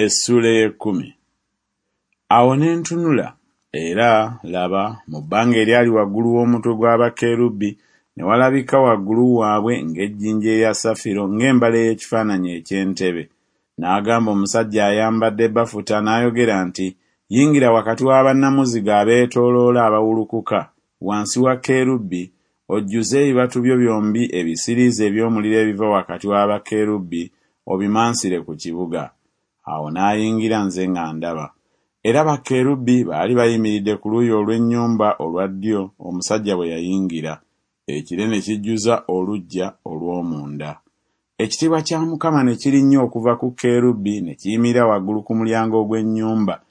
Essuula ey'ekkumi. Awo ne ntunula, era, laba, mu bbanga eryali waggulu w'omutwe gwa bakerubi ne walabika waggulu waabwe ng'ejjinja erya safiro ng'embala ey'ekifaananyi eky'entebe. N'agamba omusajja ayambadde bafuta n'ayogera nti Yingira wakati wa bannamuziga abeetooloola abawulukuka, wansi wa kerubi, ojjuze ebibatu byo byombi ebisiriiza eby'omuliro ebiva wakati wa bakerubi, obimansire ku kibuga. Awo n'ayingira nze nga ndaba. Era bakerubi baali bayimiridde ku luuyi olw'ennyumba olwa ddyo omusajja bwe yayingira, ekire ne kijjuza oluggya olw'omunda. Ekitiibwa kya Mukama ne kirinnya okuva ku kerubi ne kiyimirira waggulu ku mulyango ogw'ennyumba,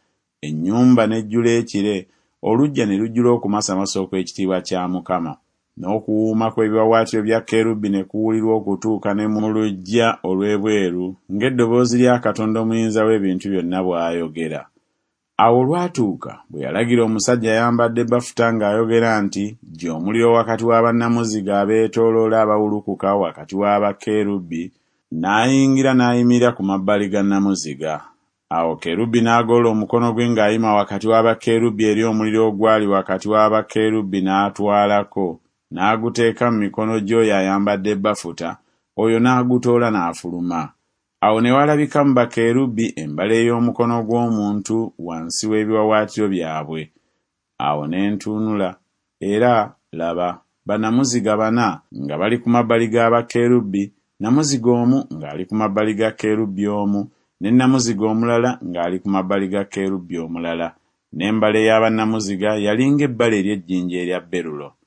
ennyumba n'ejjula ekire, oluggya ne lujjula okumasamasa okw'ekitiibwa kya Mukama. N'okuwuuma kw'ebiwaawaatiro bya kerubi ne kuwulirwa okutuuka ne mu luggya olw'ebweru, ng'eddoboozi lya Katonda Omuyinza w'ebintu byonna bw'ayogera. Awo olwatuuka bwe yalagira omusajja ayambadde bafuta ng'ayogera nti Ggya omuliro wakati wa bannamuziga abeetooloola abawulukuka wakati wa bakerubi, n'ayingira n'ayimirira ku mabbali ga nnamuziga. Awo kerubi n'agolola omukono gwe ng'ayima wakati wa bakerubi eri omuliro ogwali wakati wa bakerubi n'atwalako, n'aguteeka mu mikono gy'oyo ayambadde bafuta, oyo n'agutoola n'afuluma. Awo ne walabika mu bakerubi embala ey'omukono gw'omuntu wansi w'ebiwaawaatiro byabwe. Awo ne ntunula, era, laba, bannamuziga bana nga bali ku mabbali ga bakerubi, nnamuziga omu ng'ali ku mabbali ga kerubi omu, ne nnamuziga omulala ng'ali ku mabbali ga kerubi omulala, n'embala eya bannamuziga yali ng'ebbala ery'ejjinja erya berulo.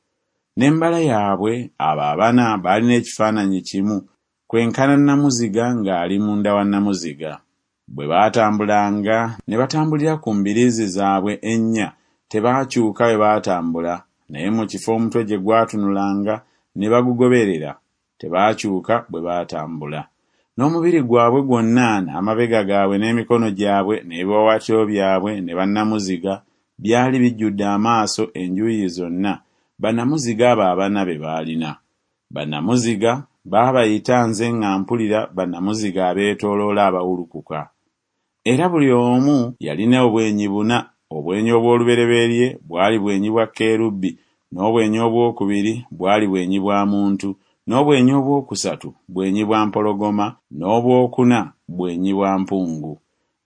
N'embala yaabwe abo abana baalina ekifaananyi kimu, kwenkana nnamuziga ng'ali munda wa nnamuziga. Bwe baatambulanga ne batambulira ku mbiriizi zaabwe ennya, tebaakyuka bwe baatambula, naye mu kifo omutwe gye gwatunulanga ne bagugoberera, tebaakyuka bwe baatambula. N'omubiri gwabwe gwonna n'amabega gaabwe n'emikono gyabwe n'ebiwaawaatiro byabwe ne bannamuziga byali bijjudde amaaso enjuuyi zonna, bannamuziga abo abana be baalina. Bannamuziga baabayita nze nga mpulira bannamuziga abeetooloola abawulukuka. Era buli omu yalina obwenyi buna, obwenyi obw'olubereberye bwali bwenyi bwa kerubi, n'obwenyi obwokubiri bwali bwenyi bwa muntu, n'obwenyi obwokusatu bwenyi bwa mpologoma, n'obwokuna bwenyi bwa mpungu.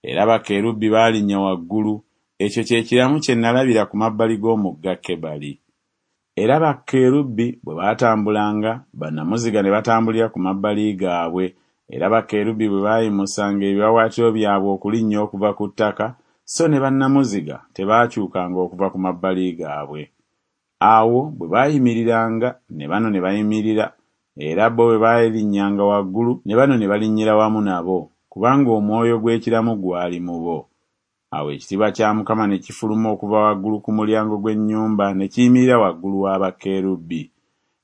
Era bakerubi baalinnya waggulu, ekyo kye kiramu kye nnalabira ku mabbali g'omugga Kebali. Era bakerubi bwe baatambulanga, bannamuziga ne batambulira ku mabbali gaabwe, era bakerubi bwe baayimusanga ebiwaawaatiro byabwe okulinnya okuva ku ttaka, so ne bannamuziga tebaakyukanga okuva ku mabbali gaabwe. Awo bwe baayimiriranga, ne bano ne bayimirira, era bo bwe baalinnyanga waggulu, ne bano ne balinnyira wamu nabo, kubanga omwoyo gw'ekiramu gwali mu bo. Awo ekitiibwa kya Mukama ne kifuluma okuva waggulu ku mulyango gw'ennyumba ne kiyimirira waggulu wa bakerubi.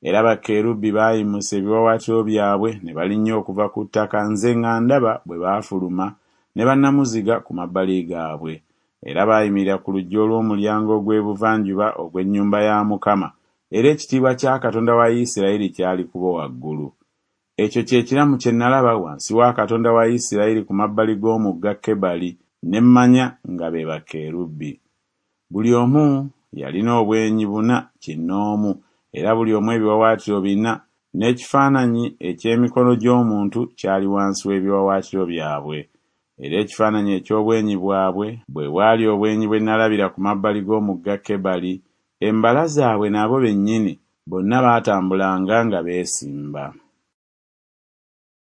Era bakerubi baayimusa ebiwaawaatiro byabwe ne balinnya okuva ku ttaka nze nga ndaba bwe baafuluma ne bannamuziga ku mabbali gaabwe. Era baayimirira ku luggi olw'omulyango ogw'ebuvanjuba ogw'ennyumba ya Mukama, era ekitiibwa kya Katonda wa Isirayiri kyali ku bo waggulu. Ekyo kye kiramu kye nalaba wansi wa Katonda wa Isirayiri ku mabbali g'omugga Kebali, ne mmanya nga be bakerubi. Buli omu yalina obwenyi buna kinnoomu, era buli omu ebiwaawaatiro bina, n'ekifaananyi eky'emikono gy'omuntu kyali wansi w'ebiwaawaatiro byabwe. Era ekifaananyi eky'obwenyi bwabwe bwe bwali obwenyi bwe nalabira ku mabbali g'omugga Kebali, embala zaabwe nabo bennyini, bonna baatambulanga nga beesimba.